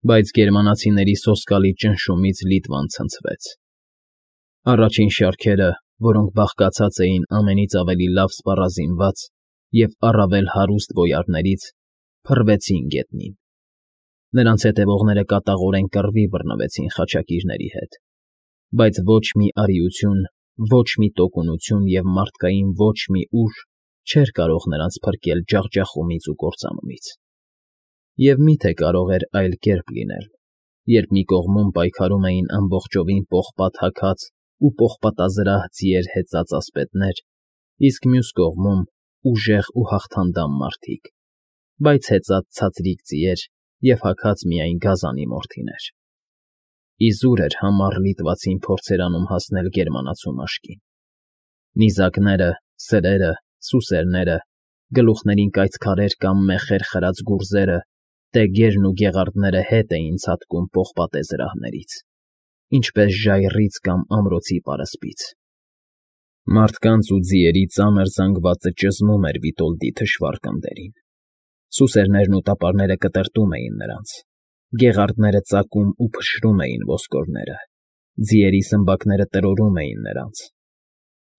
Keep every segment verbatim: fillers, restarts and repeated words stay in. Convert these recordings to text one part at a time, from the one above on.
Բայց գերմանացիների սոսկալի ճնշումից Լիտվան ցնցվեց. առաջին շարքերը, որոնք բաղկացած էին ամենից ավելի լավ սպառազինված և առավել հարուստ բոյարներից, փռվեցին գետնին. նրանց հետևողները կատաղորեն կռվի բռնվեցին խաչակիրների հետ, բայց ոչ մի արիություն, ոչ մի տոկունություն և մարդկային ոչ մի ուժ չէր կարող նրանց փրկել ջախջախումից ու կործանումից։ Եվ մի՞թե կարող էր այլ կերպ լինել, երբ մի կողմում պայքարում էին ամբողջովին պողպատ հագած ու պողպատազրահ ձիեր հեծած ասպետներ, իսկ մյուս կողմում ուժեղ ու հաղթանդամ մարդիկ, բայց հեծած ցածրիկ ձիեր և հագած միայն գազանի մորթիներ։ Իզուր էր համառ լիտվացին փորձեր անում հասնել գերմանացու մաշկին։ Նիզակները, սրերը, սուսերները, գլուխներին կայծ քարեր կամ մեխեր խրած գուրզերը, տեգերն ու գեղարդները հետ էին ցատկում պողպատե զրահներից, ինչպես ժայռից կամ ամրոցի պարսպից։ Մարդկանց ու ձիերի ծանր զանգվածը ճզմում էր Վիտոլդի թշվառ կնդերին։ Սուսերներն ու տապարները կտրտում էին նրանց, գեղարդները ծակում ու փշրում էին ոսկորները, ձիերի սմբակները տրորում էին նրանց։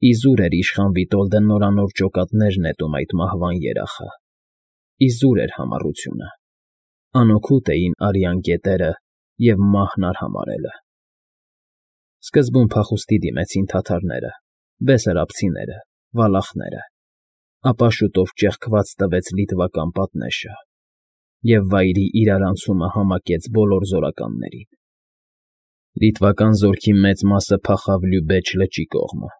Իզուր էր իշխան Վիտոլդը նորանոր ջոկատներ նետում այդ մահվան երախը, իզուր էր համառությունը, անօգուտ էին արյան գետերը և մահն արհամարհելը։ Սկզբում փախուստի դիմեցին թաթարները, բեսարաբցիները, վալախները, ապա շուտով ճեղքված տվեց լիտվական պատնեշը, և վայրի իրարանցումը համակեց բոլոր զորականներին։ Լիտվական զորքի մեծ մասը փախավ Լյուբեջ լճի կողմը,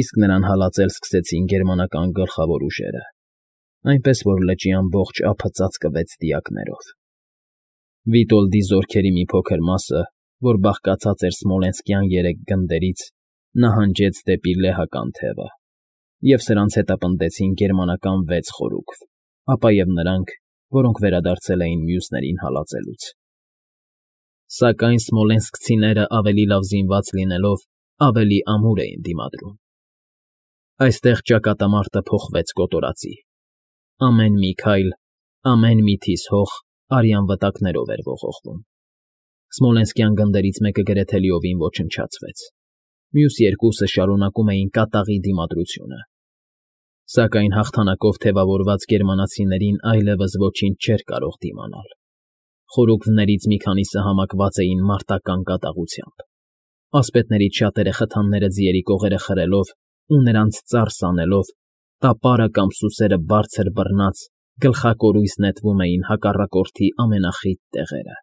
իսկ նրան հալածել սկսեցին գերմանական գլխավոր ուժերը, այնպես որ լճի ամբողջ ափը ծածկվեց դիակներով։ Վիտոլդի զորքերի մի փոքր մասը, որ բաղկացած էր Սմոլենսկյան երեք գնդերից, նահանջեց դեպի Լեհական թևը, և սրանց հետապնդեցին գերմանական վեց խորուկվ, ապա և նրանք, որոնք վերադարձել էին մյուսներին հալածելուց։ Սակայն սմոլենսկցիները ավելի լավ զինված լինելով, ավելի ամուր էին դիմադրում։ Այստեղ ճակատամարտը փոխվեց կոտորածի։ Ամեն մի քայլ, ամեն մի թիս հող արյան վտակներով էր ողողվում։ Սմոլենսկյան գնդերից մեկը գրեթե լիովին ոչնչացվեց, մյուս երկուսը շարունակում էին կատաղի դիմադրությունը։ Սակայն հաղթանակով թևավորված գերմանացիներին այլևս ոչինչ չէր կարող դիմանալ։ Խորուկներից մի քանիսը համակված էին մարտական կատաղությամբ, ասպետներից շատերը խթանները ձիերի կողերը խրելով ու նրանց ծարս անելով, տապարը կամ սուսերը բարձր բռնած, գլխակորույս նետվում էին հակառակորդի ամենախիտ տեղերը։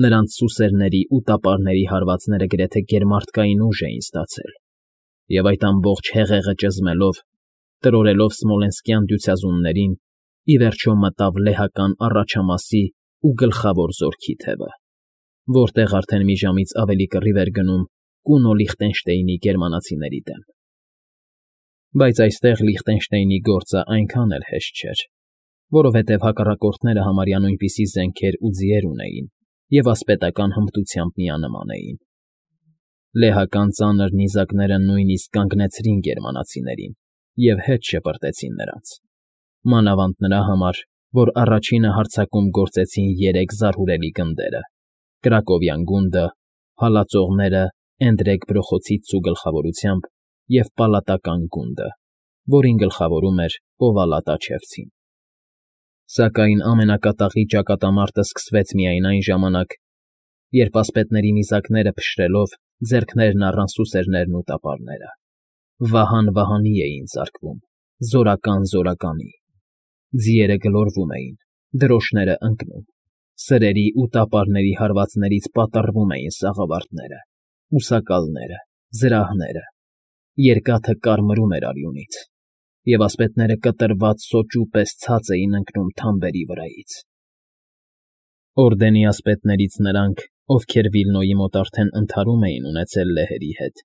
Նրանց սուսերների ու տապարների հարվածները գրեթե գերմարտկային ուժ էին ստացել, և այդ ամբողջ հեղեղը ճզմելով, տրորելով սմոլենսկյան դյուցազուններին, ի վերջո մտավ լեհական առաջամասի ու գլխավոր զորքի թևը, որտեղ արդեն մի ժամից ավելի կռիվ էր գնում Կունո Լիխտենշտեյնի գերմանացիների դեմ։ Բայց այստեղ Լիխտենշտեյնի գործը այնքան էլ հեշտ չէր, որովհետև հակառակորդները համարյա նույնպիսի զենքեր ու ձիեր ունեին և ասպետական հմտությամբ միանման էին։ Լեհական ծանր նիզակները նույնիսկ կանգնեցրին գերմանացիներին և հետ շպրտեցին նրանց, մանավանդ նրա համար, որ առաջինը հարձակում գործեցին երեք զարհուրելի գնդերը՝ Կրակովյան գունդը, հալածողները Էնդրեկ Բրոխոցիցցու գլխավորությամբ և Պալատական գունդը, որին գլխավորում էր Պովալատաչևցին։ Սակայն ամենակատաղի ճակատամարտը սկսվեց միայն այն ժամանակ, երբ ասպետների նիզակները փշրելով ձեռքներն առան սուսերներն ու տապարները։ Վահան֊վահանի էին ծակվում, զորական զորականի։ Ձիերը գլորվում էին, դրոշները ընկնում, սրերի ու տապարների հարվածներից պատռվում էին սաղավարտները, ուսակալները, զրահները, երկաթը կարմրում էր արյունից, և ասպետները կտրված սոճու պես ցած էին ընկնում թամբերի վրայից։ Օրդենի ասպետներից նրանք, ովքեր Վիլնոյի մոտ արդեն ընդհարում էին ունեցել լեհերի հետ,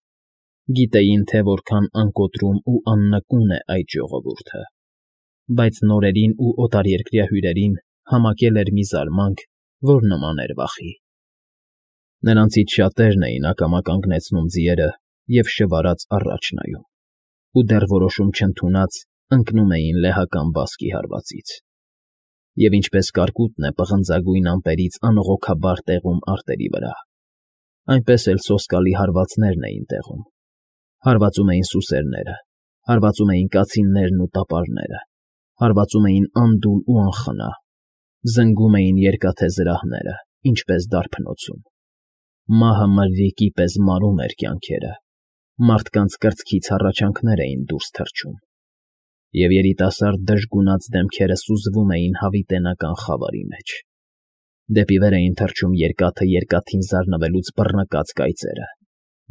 գիտեին, թե որքան անկոտրում ու աննկուն է այդ ժողովուրդը, բայց նորերին ու օտարերկրյա հյուրերին համակել էր մի զարմանք, որ նման էր վախի։ Նրանցից շատերն էին ակամա կանգնեցնում ձիերը և շվարած առաջ նայում, ու դեռ որոշում չընդունած ընկնում էին լեհական բասկի հարվածից։ Եվ ինչպես կարկուտն է պղնձագույն ամպերից անողոքաբար տեղում արտերի վրա, այնպես էլ սոսկալի հարվածներն էին տեղում. հարվածում էին սուսերները, հարվածում էին կացիններն ու տապարները, հարվածում էին անդուլ ու անխնա, զնգում էին երկաթե զրահները, ինչպես դարբնոցում. մահը մրրիկի պես մարում էր կյանքերը, մարդկանց կրծքից հառաչանքներ էին դուրս թռչում, և երիտասարդ դժգունած դեմքերը սուզվում էին հավիտենական խավարի մեջ. դեպի վեր էին թռչում երկաթը երկաթին զարնվելուց բռնկած կայծերը,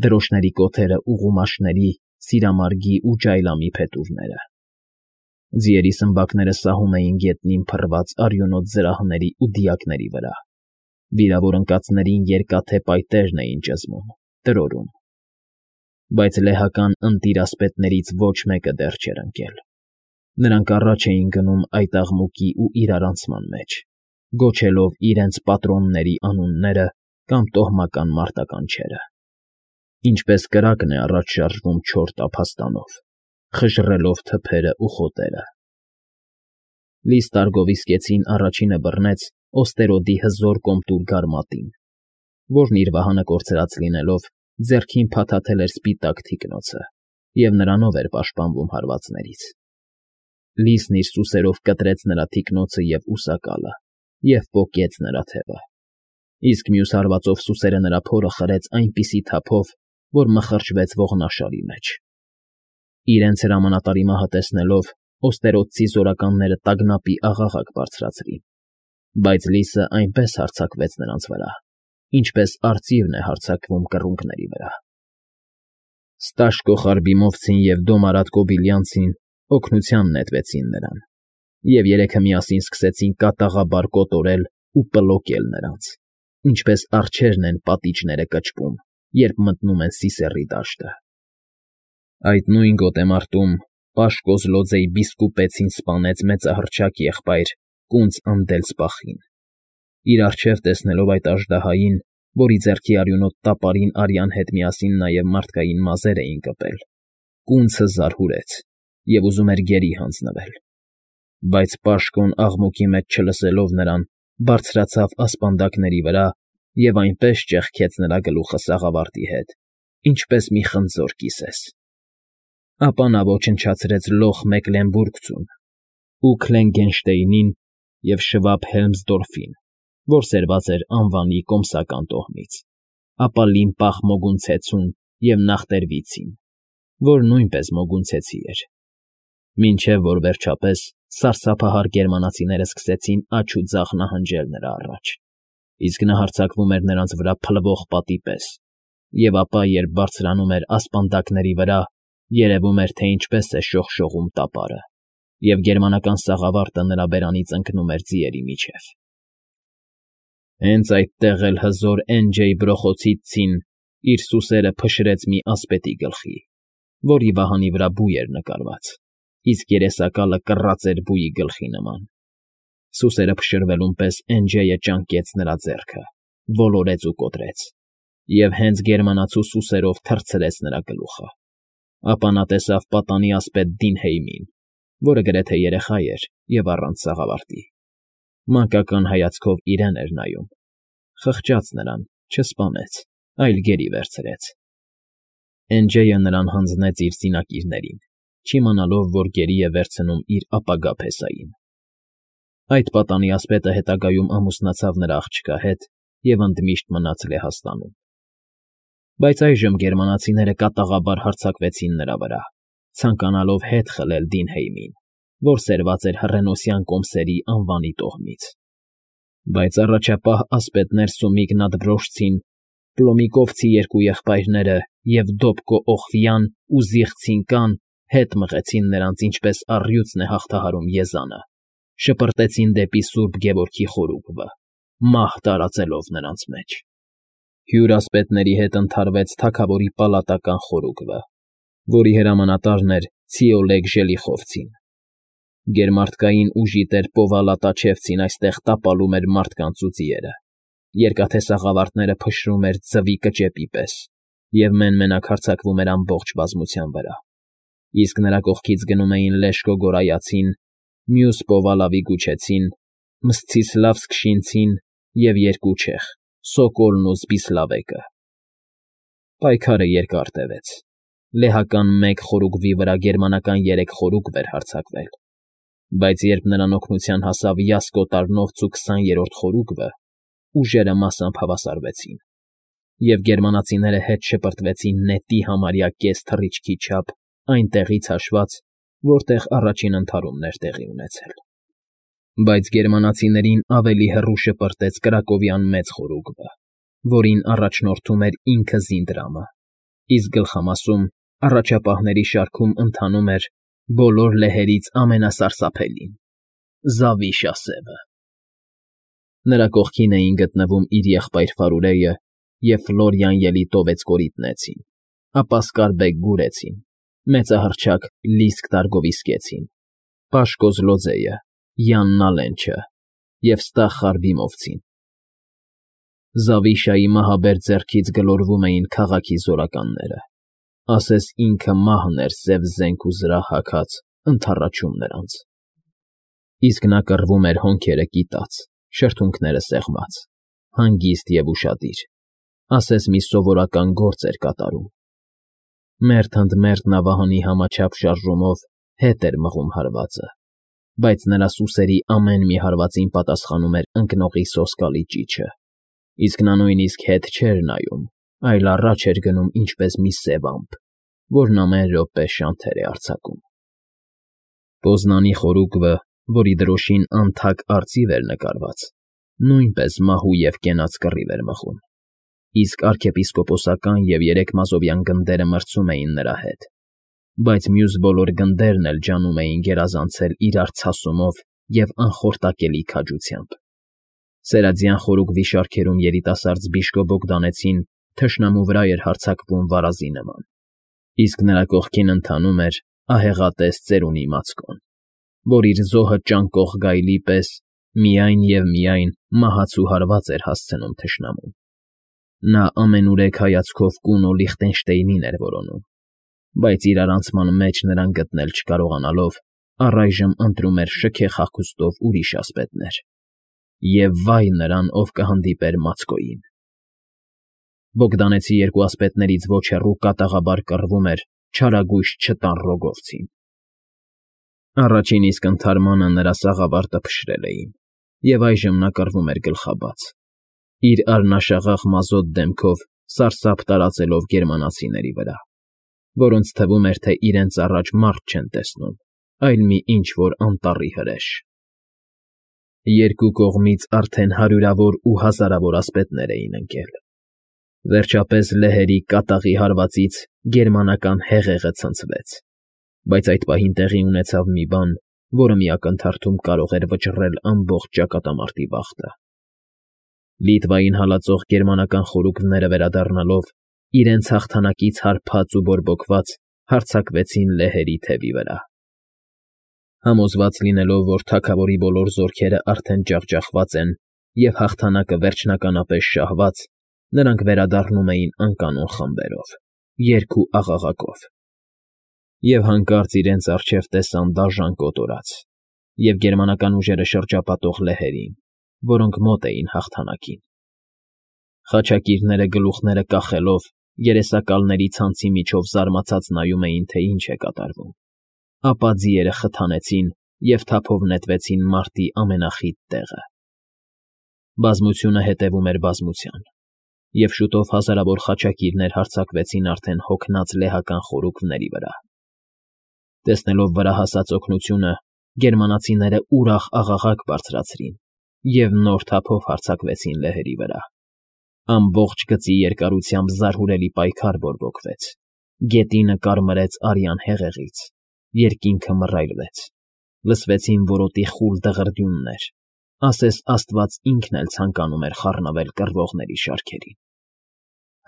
դրոշների կոթերը ուղումաշների, սիրամարգի ու ջայլամի փետուրները. ձիերի սմբակները սահում էին գետնին փռված արյունոտ զրահների ու դիակների վրա, վիրավոր ընկածներին երկաթե պայտերն էին ճզմում, տրորում. բայց լեհական ընտիր ասպետներից ոչ մեկը դեռ չէր ընկել. նրանք առաջ էին գնում այդ աղմուկի ու իրարանցման մեջ, գոչելով իրենց պատրոնների անունները կամ տոհմական մարտականչերը. ինչպես կրակն է առաջ շարժվում չոր տափաստանով, խժռելով թփերը ու խոտերը. լի ստարգով իսկեցին առաջինը բռնեց Օստերոդի հզոր կոմտուր գարմատին, որն իր վահանը կորցրած լինելով ձեռքին փաթաթել էր սպիտակ թիկնոցը և նրանով էր պաշտպանվում հարվածներից. Լիսն իր սուսերով կտրեց նրա թիկնոցը և ուսակալը և պոկեց նրա թևը, իսկ մյուս հարվածով սուսերը նրա փորը խրեց այնպիսի թափով, որ մխրճվեց ողնաշարի մեջ. իրենց հրամանատարի մահը տեսնելով օստերոդցի զորականները տագնապի աղաղակ բարձրացրին, բայց լիսը այնպես հարձակվեց նրանց վրա, ինչպես արծիվն է հարձակվում կռունկների վրա. Ստաշկոხարբիմովցին և Դոմարատ Կոբիլյանցին օգնության նետվեցին նրան, և երեքը միասին սկսեցին կատաղաբար կոտորել ու պլոկել նրանց, ինչպես արջերն են պատիճները կճկում, երբ մտնում են Սիսեռի դաշտը. այդ նույն գոտեմարտում Պաշկոզլոձեի բիսկուպեցին սպանեց մեծահռչակ եղբայր կունց Անդելսպախին, իր առջև տեսնելով այդ աժդահային, որի ձեռքի արյունոտ տապարին արյան հետ միասին նաև մարդկային մազեր էին կպել, կունցը զարհուրեց և ուզում էր գերի հանձնվել, բայց Պաշկոն աղմուկի մեջ չլսելով նրան, բարձրացավ ասպանդակների վրա և այնպես ճեղքեց նրա գլուխը սաղավարտի հետ, ինչպես մի խնձոր կիսես. ապա նա ոչնչացրեց լոխ Մեկլենբուրգցուն ու Քլենգենշտեյնին և Շվաբ Հելմսդորֆին, որ սերված էր անվանի կոմսական տոհմից, ապա Լիմպախ Մոգունցեցուն և Նախտերվիցին, որ նույնպես Մոգունցեցի էր, մինչև որ վերջապես սարսափահար գերմանացիները սկսեցին աջ ու ձախ նահանջել նրա առաջ, իսկ նա հարձակվում էր նրանց վրա փլվող պատի պես, և ապա, երբ բարձրանում էր ասպանդակների վրա, երևում էր, թե ինչպես է շողշողում տապարը, և գերմանական սաղավարտը նրա բերանից ընկնում էր ձիերի միջև. Հենց այդտեղ էլ հզոր Էն֊Ջեյ Բրոխոցիցցին իր սուսերը փշրեց մի ասպետի գլխի, որի վահանի վրա բույ էր նկարված, իսկ երեսակալը կռած էր բույի գլխի նման. սուսերը փշրվելուն պես Էն֊Ջեյը ճանկեց նրա ձեռքը, ոլորեց ու կոտրեց, և հենց գերմանացու սուսերով թռցրեց նրա գլուխը. ապա նա տեսավ պատանի ասպետ Դինհեյմին, որը գրեթե երեխա էր և առանց սաղավարտի, մանկական հայացքով իրեն էր նայում, խղճաց նրան, չսպանեց, այլ գերի վերցրեց. Էն֊Ջեյը նրան հանձնեց իր զինակիրներին, չիմանալով, որ գերի է վերցնում իր ապագա փեսային. այդ պատանի ասպետը հետագայում ամուսնացավ նրա աղջկա հետ և ընդմիշտ մնաց Լեհաստանում. բայց այժմ գերմանացիները կատաղաբար հարձակվեցին նրա վրա, ցանկանալով հետ խլել Դինհեյմին, որ սերված էր հռենոսյան կոմսերի անվանի տոհմից. բայց առաջապահ ասպետներ Սոմիգնատ-Վրոշցին, Պլոմիկովցի երկու եղբայրները և Դոբկո Օխվյան ու Զիղցին-կան հետ մղեցին նրանց, ինչպես առյուծն է հաղթահարում եզանը, շպրտեցին դեպի Սուրբ Գևորգի խորուկը, մահ տարածելով նրանց մեջ. հյուր ասպետների հետ ընդհարվեց թագավորի պալատական խորուկը, որի հրամանատարն էր Ցիոլեգ Ժելիխովցին. գերմարտկային ուժի տեր Պովալա-Տաչևցին այստեղ տապալում էր մարդկանց ու ձիերը, երկաթե սաղավարտները փշրում էր ձվի կճեպի պես և մեն֊մենակ հարձակվում էր ամբողջ բազմության վրա, իսկ նրա կողքից գնում էին Լեշկո Գորայացին, մյուս Պովալավի Գուչեցին, Մսցիսլավսկ֊Շինցին և երկու չեխ՝ Սոկոլն ու Զբիսլավեկը։ Պայքարը երկար տևեց. լեհական մեկ խորուգվի վրա գերմանական երեք խորուգվ էր հարձակվել, բայց երբ նրան օգնության հասավ Յասկոտարնովց ու քսաներորդ խորուգվը, ուժերը մասամբ հավասարվեցին, և գերմանացիները հետ շպրտվեցին նետի համարյա կես թռիչքի չափ այն տեղից հաշված, որտեղ առաջին ընդհարումն էր տեղի ունեցել։ Բայց գերմանացիներին ավելի հեռու շպրտեց Կրակովյան մեծ խորուգվը, որին առաջնորդում էր ինքը Զինդրամը, իսկ գլխամասում, առաջապահների շարքում ընթանում էր բոլոր լեհերից ամենասարսափելին՝ Զավիշասևը։ Նրա կողքին էին գտնվում իր եղբայր Ֆարուրեյը և Ֆլորիան Ելիտովեց կորիտնեցին, ապա Սկարբեկ Գուրեցին, մեծահռչակ Լիսկ Տարգովիսկեցին, Պաշ Կոզլոձեյը, Յան Նալենչը և Ստախ Խարբիմովցին։ Զավիշայի մահաբեր ձեռքից գլորվում էին քաղաքի զորականները, ասես ինքը մահն էր սև զենք ու զրահ հագած ընդառաջում նրանց։ Իսկ նա կռվում էր հոնքերը կիտած, շրթունքները սեղմած, հանգիստ և ուշադիր, ասես մի սովորական գործ էր կատարում։ Մերթ ընդ մերթ նավահանի համաչափ շարժումով հետ էր մղում հարվածը, բայց նրա սուսերի ամեն մի հարվածին պատասխանում էր ընկնողի սոսկալի ճիչը, իսկ նա նույնիսկ հետ չէր նայում, այլ առաջ էր գնում ինչպես մի սև ամպ, որն ամեն րոպե շանթեր է արձակում։ Պոզնանի խորուգվը, որի դրոշին անթափ արծիվ էր նկարված, նույնպես մահու և կենաց կռիվ էր մղում, իսկ արքեպիսկոպոսական և երեք մազովյան գնդերը մրցում էին նրա հետ, բայց մյուս բոլոր գնդերն էլ ջանում էին գերազանցել իրար ցասումով և անխորտակելի քաջությամբ։ Սերադյան խորուգվի շարքերում երիտասարդ Զբիշկո Բոգդանեցին թշնամու վրա էր հարձակվում վարազի նման, իսկ նրա կողքին ընթանում էր ահեղատես ծերունի Մացկոն, որ իր զոհը ճանկող գայլի պես միայն և միայն մահացու հարված էր հասցնում թշնամուն։ Նա ամենուրեք հայացքով կունո Լիխտենշտեյնին էր որոնում, բայց իրարանցման մեջ նրան գտնել չկարողանալով, առայժմ ընտրում էր շքեղ հագուստով ուրիշ ասպետներ։ Եվ վայ նրան, ով կհանդիպեր Մացկոյին։ Բոգդանեցի երկու ասպետներից ոչ հեռու կատաղաբար կռվում էր չարագույժ չտան Ռոգովցին։ Առաջին իսկ ընդհարմանը նրա սաղավարտը փշրել էին, և այժմ նա կռվում էր գլխաբաց, իր արնաշաղախ մազոտ դեմքով սարսափ տարածելով գերմանացիների վրա, որոնց թվում էր, թե իրենց առաջ մարդ չեն տեսնում, այլ մի ինչ֊որ անտառի հրեշ։ Երկու կողմից արդեն հարյուրավոր ու հազարավոր ասպետներ էին ընկել։ Վերջապես լեհերի կատաղի հարվածից գերմանական հեղեղը ցնցվեց, բայց այդ պահին տեղի ունեցավ մի բան, որը մի ակնթարթում կարող էր վճռել ամբողջ ճակատամարտի բախտը։ Լիտվային հալածող գերմանական խորուգվները վերադառնալով, իրենց հաղթանակից հարբած ու բորբոքված հարձակվեցին լեհերի թևի վրա։ Համոզված լինելով, որ թագավորի բոլոր զորքերը արդեն ջախջախված են և հաղթանակը վերջնականապես շահված, նրանք վերադառնում էին անկանոն խմբերով, երգ ու աղաղակով։ Եվ հանկարծ իրենց առջև տեսան դաժան կոտորած և գերմանական ուժերը շրջապատող լեհերին, որոնք մոտ էին հաղթանակին։ Խաչակիրները գլուխները կախելով, երեսակալների ցանցի միջով զարմացած նայում էին, թե ինչ է կատարվում, ապա ձիերը խթանեցին և թափով նետվեցին մարտի ամենախիտ տեղը։ Բազմությունը հետևում էր բազմության, և շուտով հազարավոր խաչակիրներ հարձակվեցին արդեն հոգնած լեհական խորուգվների վրա։ Տեսնելով վրա հասած օգնությունը, գերմանացիները ուրախ աղաղակ բարձրացրին և նոր թափով հարձակվեցին լեհերի վրա։ Ամբողջ գծի երկարությամբ զարհուրելի պայքար բորբոքվեց, գետինը կարմրեց արյան հեղեղից, երկինքը մռայլվեց, լսվեցին որոտի խուլ դղրդյուններ, ասես աստված ինքն էլ ցանկանում էր խառնվել կռվողների շարքերին։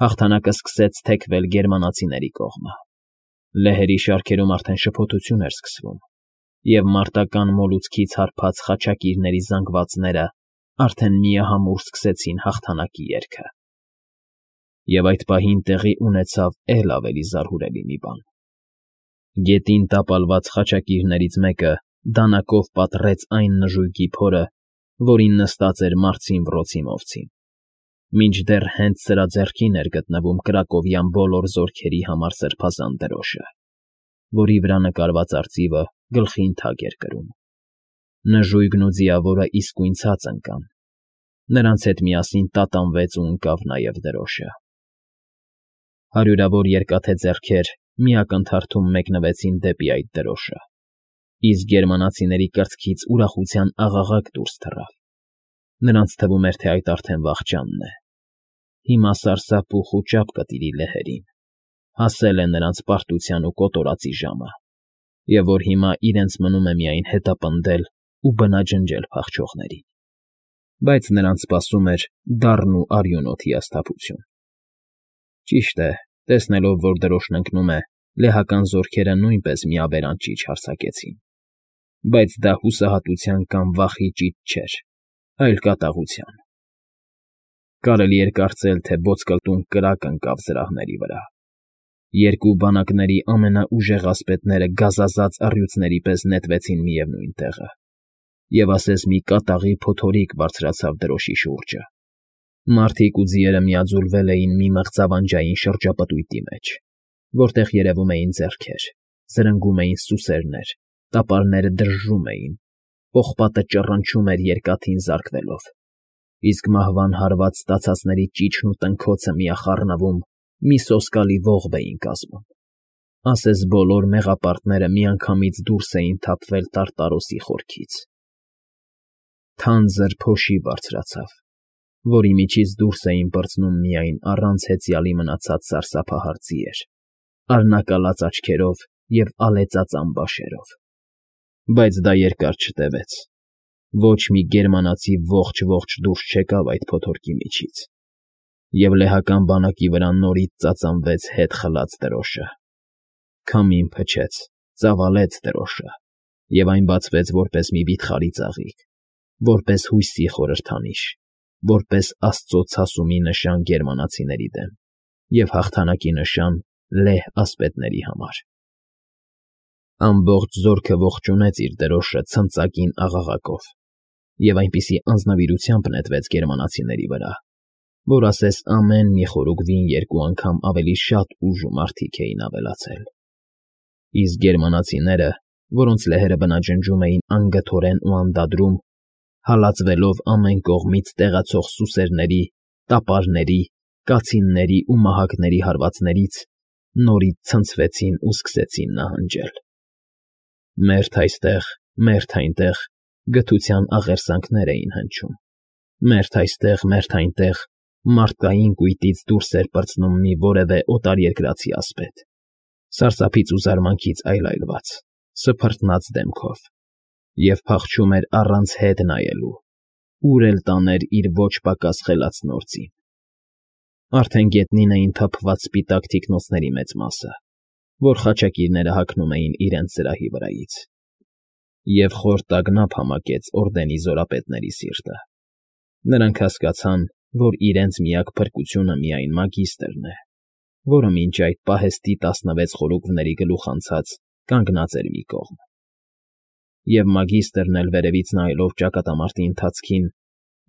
Հաղթանակը սկսեց թեքվել գերմանացիների կողմը։ Լեհերի շարքերում արդեն շփոթություն էր սկսվում, և մարտական մոլուցքից հարբած խաչակիրների զանգվածները արդեն միահամուռ սկսեցին հաղթանակի երգը։ Եվ այդ պահին տեղի ունեցավ էլ ավելի զարհուրելի մի բան։ Գետին տապալված խաչակիրներից մեկը դանակով պատռեց այն նժույգի փորը, որին նստած էր մառցին վռոցի մովցին, մինչդեռ հենց սրա ձեռքին էր գտնվում կրակովյան բոլոր զորքերի համար սրբազան դրոշը, որի վրա նկարված արծիվը գլխին թագ էր կրում։ Նժույգն ու ձիավորը իսկույն ցած ընկան, նրանց հետ միասին տատանվեց ու ընկավ նաև դրոշը։ Հարյուրավոր երկաթե ձեռքեր մի ակնթարթում մեկնվեցին դեպի այդ դրոշը, իսկ գերմանացիների կրծքից ուրախության աղաղակ դուրս թռավ։ Նրանց թվում էր, թե այդ արդեն վախճանն է։ Հիմա սարսափ ու խուճապ կտիրի լեհերին, հասել է նրանց պարտության ու կոտորածի ժամը, և որ հիմա իրենց մնում է միայն հետապնդել ու բնաջնջել փախչողներին։ Բայց նրանց սպասում էր դառն ու արյունոտ հիասթափություն։ Ճիշտ է, տեսնելով, որ դրոշն ընկնում է, լեհական զորքերը նույնպես միաբերան ճիչ հարձակեցին, բայց դա հուսահատության կամ վախի ճիչ չէր, այլ կատաղության։ Կարելի էր կարծել, թե ոսկլտուն կրակ ընկավ զրահների վրա։ Երկու բանակների ամենաուժեղ ասպետները գազազած առյուծների պես նետվեցին միևնույն տեղը, և ասես մի կատաղի փոթորիկ բարձրացավ դրոշի շուրջը։ Մարդիկ ու ձիերը միաձուլվել էին մի մղձավանջային շրջապտույտի մեջ, որտեղ երևում էին ձեռքեր, զրնգում էին սուսերներ, տապարները դրժում էին, պողպատը ճռնչում էր երկաթին զարկվելով, իսկ մահվան հարված ստացածների ճիչն ու տնքոցը միախառնվում մի սոսկալի ողբ էին կազմում, ասես բոլոր մեղապարտները միանգամից դուրս էին թափվել Տարտարոսի խորքից։ Թանձր փոշի բարձրացավ, որի միջից դուրս էին պրծնում միայն առանց հեծյալի մնացած սարսափահար ձիեր, արնակալած աչքերով և ալեծած ամբաշերով։ Բայց դա երկար չտևեց։ Ոչ մի գերմանացի ողջ֊ողջ դուրս չեկավ այդ փոթորկի միջից, և լեհական բանակի վրա նորից ծածանվեց հետ խլած դրոշը։ Քամին փչեց, ծավալեց դրոշը, և այն բացվեց որպես մի վիթխարի ծաղիկ, որպես հույսի խորհրդանիշ, որպես Աստծո ցասումի նշան գերմանացիների դեմ և հաղթանակի նշան լեհ ասպետների համար։ Ամբողջ զորքը ողջունեց իր դրոշը ցնծակին աղաղակով և այնպիսի անձնվիրությամբ նետվեց գերմանացիների վրա, որ ասես ամեն մի խորուգվին երկու անգամ ավելի շատ ուժ ու մարդիկ էին ավելացել։ Իսկ գերմանացիները, որոնց լեհերը բնաջնջում էին անգթորեն ու անդադրում, հալածվելով ամեն կողմից տեղացող սուսերների, տապարների, կացինների ու մահակների հարվածներից, նորից ցնցվեցին ու սկսեցին նահանջել։ Մերթ այստեղ, մերթ այնտեղ գթության աղերսանքներ էին հնչում, մերթ այստեղ, մերթ այնտեղ մարդկային կույտից դուրս էր պրծնում մի որևէ օտարերկրացի ասպետ, սարսափից ու զարմանքից այլայլված, սփռտնած դեմքով, և փախչում էր առանց հետ նայելու, ուր էլ տաներ իր ոչ պակաս խելացն օրծին։ Արդեն գետնին էին թափված սպիտակ թիկնոցների մեծ մասը, որ խաչակիրները հագնում էին իրենց զրահի վրայից, և խոր տագնապ համակեց օրդենի զորապետների սիրտը։ Նրանք հասկացան, որ իրենց միակ փրկությունը միայն մագիստրն է, որը մինչ այդ պահեստի տասնվեց խորուգվների գլուխ անցած կանգնած էր մի կողմ։ Եվ մագիստրն էլ վերևից նայելով ճակատամարտի ընթացքին,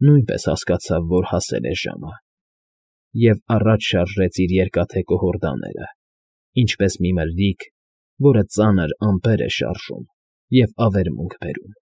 նույնպես հասկացավ, որ հասել է ժամը, և առաջ շարժեց իր երկաթե կոհորդաները, ինչպես մի մրրիկ, որը ծանր ամպեր է շարժում և ավերմունք բերում։